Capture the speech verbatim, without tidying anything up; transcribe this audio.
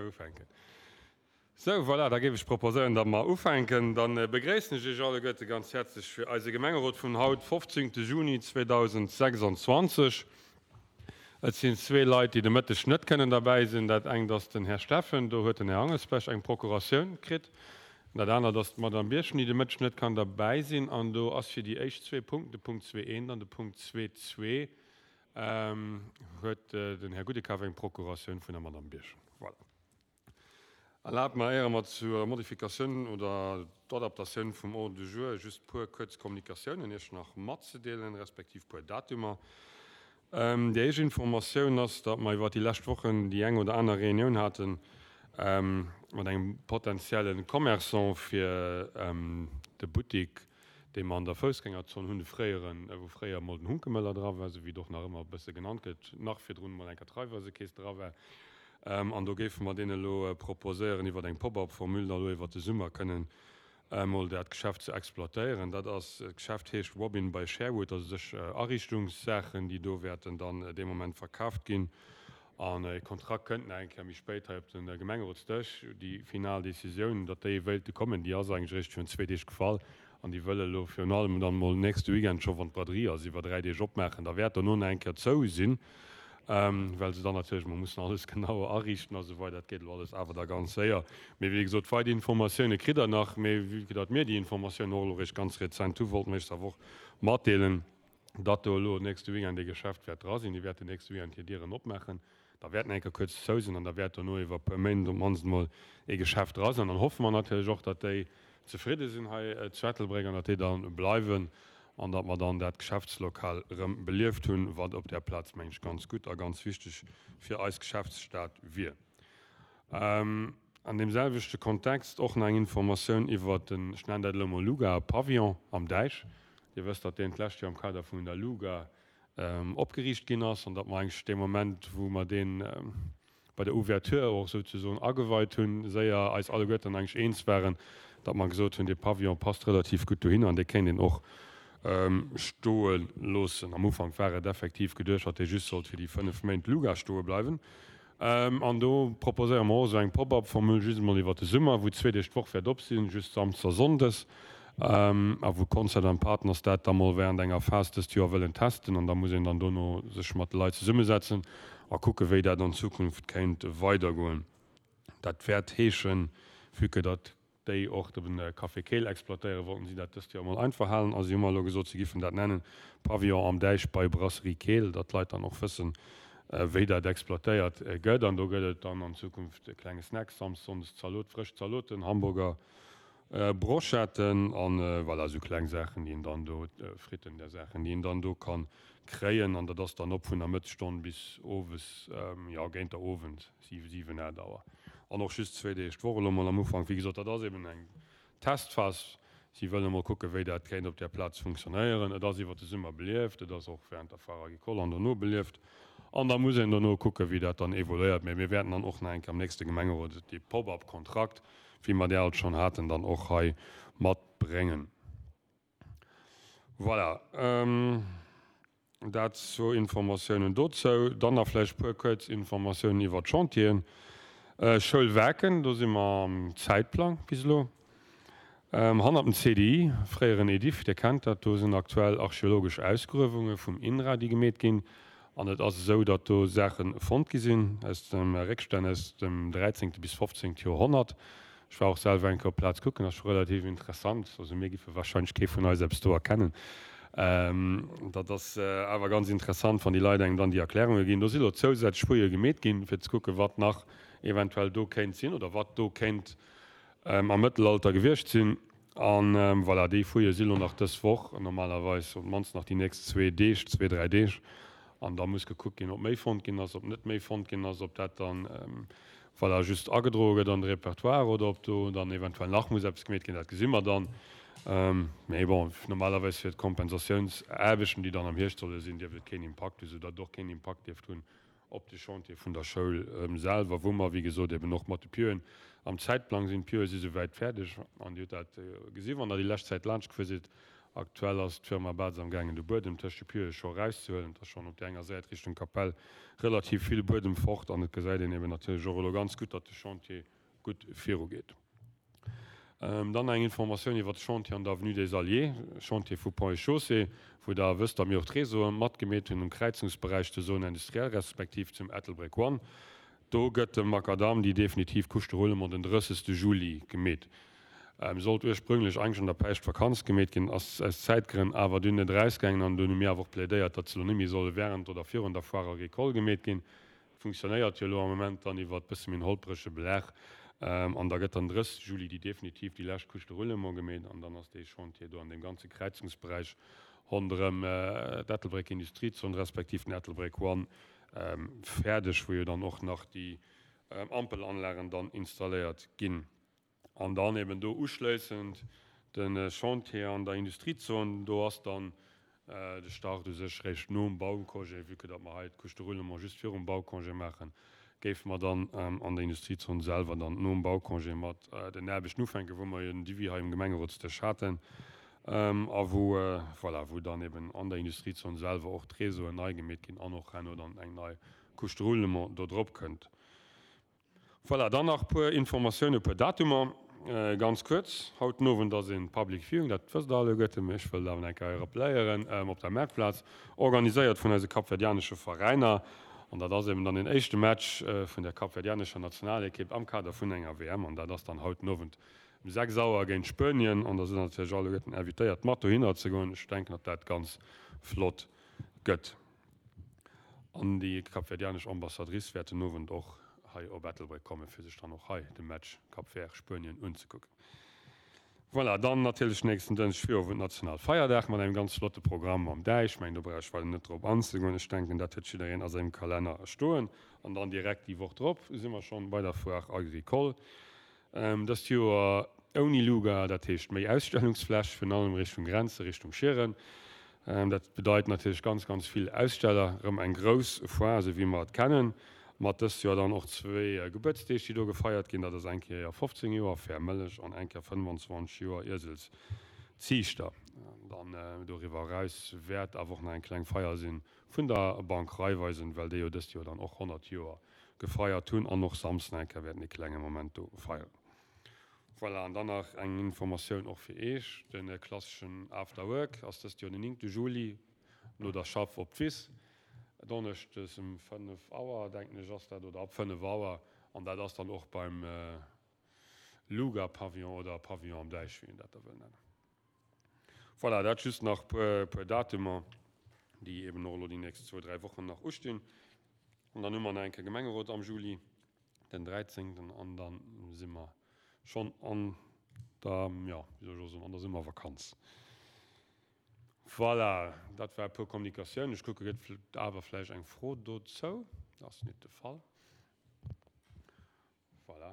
Ufänken. Sou, voilà, da géif ech proposéieren, datt mer ufänken. Da begréissen ech Iech alleguerte ganz häerzlech fir eise Gemengerot vun haut, fofzéngte Juni zweedausendsechsanzwanzeg. Et sinn zwee Leit, déi de Mëtteg net kënnen derbäi sinn. Dat engt ass den Här Steffen, do huet den Här Angelsbech eng Procuratioun kritt. Dat anert ass d'Madame Birchen, déi de Mëtteg net kann derbäi sinn. An do ass fir déi éischt zwee Punkten, de Punkt zwee eent an de Punkt zwee zwee, huet den Här Gudekaf eng Procuratioun vun der Madame Birchen. Voilà. Erlaabt mer, éier mer zur Modifikatioun oder d'Adaptatioun vum Ordre du jour just puer kuerz Kommunikatiounen Iech nach matzedeelen, respektiv puer Datumer. Déi éischt Informatioun ass, datt mer iwwert déi lescht Wochen déi eng oder aner Reunioun hate mat engem potenzielle Commerçant fir de Buttik, dee mer an der Foussgängerzon hunn, de fréieren, wou fréier emol den Hunkemöller dra war, esou wéi et och nach ëmmer e bësse genannt gëtt, nach virdrun emol eng Raiffeisekeess dra war. An do géife mer deenen elo proposéieren, iwwer eng Pop-up-Formule da elo iwwer de Summer kënnen emol dat Geschäft ze exploitéieren. Dat ass, d'Geschäft heescht Robin by Sherwood, dat ass u sech Ariichtungssaachen, déi do wäerten dann dee Moment verkaaft ginn. An e Kontrakt kënnt nach eng Kéier méi spéit hei op de Gemengerotsdësch. Déi final Decisioun, datt déi wéilte kommen, déi ass eigentlech eréischt virun zwee Deeg gefall. An déi wëlle elo virun allem dann emol nächste Weekend scho, wann d'Braderie ass, iwwer dräi Deeg opmaachen. Da wäert dono nach eng Kéier zou sinn, well se dann natierlech emol mussen alles genau ariichten a sou weider. Dat geet elo alles awer da ganz séier. Mee wéi gesot, weider Informatioune kritt Der nach. Mee vue que datt mir déi Informatiounen och elo eréischt ganz rezent hu, wollte mer Iech se awer och matdeelen, datt do elo nächste Weekend ee Geschäft wäert dra sinn. Déi wäerten nächste Weekend hir Dieren opmaachen. Da wäert nach eng Kéier kuerz zou sinn an da wäert dono iwwer e puer Méint op d'mannst emol ee Geschäft dra sinn. An dann hoffe mer natierlech och, datt déi zefridde sinn hei zu Ettelbréck an datt déi da bleiwen an datt mer dann dat Geschäftslokal erëm belieft hunn, wat op där Plaz, meng ech, ganz gutt a ganz wichteg fir eis Geschäftsstad wier. An deem selwechte Kontext och nach eng Informatioun iwwert den, ech nennen dat elo emol Luga Pavillon am Däich. Dir wësst, datt deen d'lescht Joer am Kader vun der Luga opgeriicht ginn ass an datt mer eigentlech dee Moment, wou mer dee bei der Ouverture och souzesoen ageweit hunn, séier eis alleguerten eigentlech eens waren, datt mer gesot hunn, dee Pavillon passt relativ gutt dohinner an dee kéint een och stoe loossen. Am Ufank war et effektiv geduecht, datt dee just sollt fir déi fënnef Méint Luga stoe bleiwen. An do proposéiere mer och esou eng Pop-up-Formule just emol iwwert de Summer, wou zwee Deeg d'Woch wäert op sinn, just samsdes a sonndes, a wou Concert and Partners dat da mol während enger Phas dëst Joer wëllen testen. An da muss een dann dono sech mat de Leit zesummesetzen a kucke wéi dat an Zukunft kéint weidergoen. Dat wäert heeschen, vue que datt déi och de Café Keel exploitéieren, wollten si dat dëst Joer emol einfach halen a si hu mer elo gesot, si giffen dat nennen Pavillon am Däich bei Brasserie Keel, datt d'Leit dann och wëssen, wéi dat exploitéiert gëtt. An do gëtt et dann an Zukunft e klenge Snack, samsdes, sonndes Zalot, frësch Zaloten, Hamburger, Brochetten an voilà, esou kleng Saachen, déi een dann do, Fritten, där Saachen, déi een dann do ka kréien. An dat ass dann op vun der Mëttesstonn bis owes, jo, géint der Owend, siwen, siwen, aacht Auer. An och just zwee Deeg d'Woch elo mol am Ufank. Wéi gesot, dat ass eben eng Testphas. Si wëllen emol kucken, wéi dat kéint op där Plaz funktionéieren. Et ass iwwert de Summer belieft, et ass och während der Foire agricole an dono belieft. An da muss een dono kucken, wéi dat dann evoluéiert. Mä mir wäerten dann och nach eng Kéier am nächste Gemengerot dee Pop-up-Kontrakt, wéi mer dee alt schonn haten, dann och hei matbréngen. Voilà. Dat zwou Informatiounen dozou. Dann nach vläicht e puer kuerz Informatiounen iwwert d'Chantieren. Schoul Waarken, do si mer am Zäitplang bis elo. Hannert dem C D I, fréieren Ediff, Dir kennt dat, do sinn aktuell archeologesch Ausgruewunge vum INRA, déi gemeet ginn. An et ass esou, datt do Saache fonnt gi sinn aus dem Réckstänn aus dem dräizéngte bis fofzéngte Joerhonnert. Ech war och selwer eng Kéier op d'Plaz kucken, ass scho relativ interessant. Also mir giffe wahrscheinlech kee vun eis eppes do erkennen. Dat ass awer ganz interessant, wann déi Leit engem dann déi Erklärunge ginn. Do si lo zousätzlech Fouillë gemeet ginn, fir ze kucken, wat nach eventuell do kéint sinn oder wat do kéint am Mëttelalter gewiescht sinn. An voilà, déi Fouillë si lo nach dës Woch, normalerweis op d'mannst nach déi nächst zwee Deeg, zwee, dräi Deeg. An da muss gekuckt ginn, ob méi fonnt ginn ass, ob net méi fonnt ginn ass, ob dat dann voilà, just agedroe gëtt an de Repertoire oder ob do dann eventuell nach muss eppes gemeet ginn, dat gesi mer dann. Mee bon, normalerweis fir d'Kompensatiounsaarbechten, déi dann am Hierscht solle sinn, dierft et keen Impakt hunn, soudatt et och keen Impakt dierft hunn op de Chantier vun der Schoul selwer, wou mer, wéi gesot, eben och mat de Pieuxen am Zäitplang sinn. D'Pieue si souwäit fäerdeg an Dir hutt dat gesi wann Der déi lescht Zäit laanscht gefuer sidd. Aktuell ass d'Firma Batz am gaangen de Buedem tëscht de Pieuxe scho erauszehuelen. Et ass schonn op där enger Säit Richtung Kapell relativ vill Buedem fort an et gesäit een eben natierlech och elo ganz gutt, datt de Chantier gutt virugeet. Dann eng Informatioun iwwert de Chantier an der Avenue des Alliés, Chantier vu Ponts et Chaussées, wou Der wësst, datt mir och d'Réseaue matgemeet hunn um Kräizungsberäich zur Zone industrielle respektiv zum Ettelbréck One. Do gëtt de Macadam, déi definitiv Couche de roulement den drëssegste Juli gemeet. Sollt ursprünglech eigentlech an der Päischtvakanz gemeet ginn, ass aus Zäitgrënn awer dunn net erausgaangen an dunn hu mir awer och plädéiert, datt se elo net méi solle während oder virun der Foire agricole gemeet ginn. Funktionéiert jo elo am Moment dann iwwert bësse méi en holprege Belag an da gëtt dann drësseg Juli déi definitiv déi lescht Couche de roulement gemeet an dann ass dee Chantier do an deem ganze Kräizungsberäich ronderëm d'Ettelbréck Industriezon respektiv den Ettelbréck One fäerdeg, wou jo dann och nach déi Ampelanlagen dann installéiert ginn. An dann eben do uschléissend de Chantier an der Industriezon, do ass dann de Start u sech réischt nom Baucongé, vue que datt mer hei d'Couche de roulement just virum Baucongé maachen, géife mer dann an der Industriezon selwer dann nom Baucongé mat den Aarbechten ufänken, wou mer jo den Devis hei um Gemengerotsdësch haten a wou, voilà, wou dann eben an der Industriezon selwer och d'Réseauen nei gemeet ginn an och herno dann eng nei Couche de roulement do drop kënnt. Voilà, dann nach e puer Informatiounen, e puer Datumer, ganz kuerz. Haut den Owend ass een Public Viewing, dat wësst Der alleguerte, mee ech wëll et awer eng Kéier rappelléieren, op der Maartplaz, organiséiert vun eise kapverdianesche Veräiner. An dat ass eben dann den éischte Match vun der kapverdianescher Nationalekipp am Kader vun enger W M. An dat ass dann haut den Owend um sechs Auer géint Spuenien. An da sinn natierlech alleguerten invitéiert, mat dohinner ze goen. Ech denken, datt dat ganz flott gëtt. An déi kapverdianesch Ambassadrice wäert den Owend och hei op Ettelbréck kommen, fir sech dann och hei de Match Cap Vert-Spuenien unzekucken. Voilà, dann natierlech nächsten Dënschdeg Virowend Nationalfeierdag mat engem ganz flotte Programm am Däich. Ech mengen, do brauch ech weider net drop anzegoen. Ech denken, dat huet jiddereen a sengem Kalenner stoen. An dann direkt déi Woch drop si mer schonn bei der Foire Agricole. Dëst Joer ouni Luga, dat heescht méi Ausstellungsfläch, virun allem Richtung Grenze, Richtung Schieren. Dat bedeit natierlech ganz, ganz vill Aussteller, erëm eng grouss Foire, esou wéi mer et kennen, mat dëst Joer dann och zwee Gebuertsdeeg, déi do gefeiert ginn. Dat ass eng Kéier fofzéng Joer Fair Mëllech an eng Kéier fënnwanzwanzeg Joer Ieselsziichter. Dann doriwwer eraus wäert awer och nach eng kleng Feier si vun der Bank Raiffeisen, well déi jo dëst Joer dann och honnert Joer gefeiert hunn an och Samsden eng Kéier wäerten e klenge Moment do feieren. Voilà, an dann nach eng Informatioun och fir Iech, De klasseschen After Work ass dëst Joer den néngte Juli no der Schaff op d'Wiss, donneschdes um fënnef Auer, denken ech ass dat, oder ab fënnef Auer, an dat ass dann och beim Luga Pavillon oder Pavillon am Däich, wéi een dat da wëll nennen. Voilà, dat just nach puer, puer Datumer, déi eben och elo déi nächst zwou, dräi Wochen nach ustinn. An dann hu mer nach eng Kéier Gemengerot am Juli, den dräizéngten an dann si mer schonn an der, jo, wéi soll ech elo soen, an der Summervakanz. Voilà, dat war e puer Kommunikatiounen. Ech kucke, gëtt awer vläicht eng Fro dozou? Dat ass net de Fall.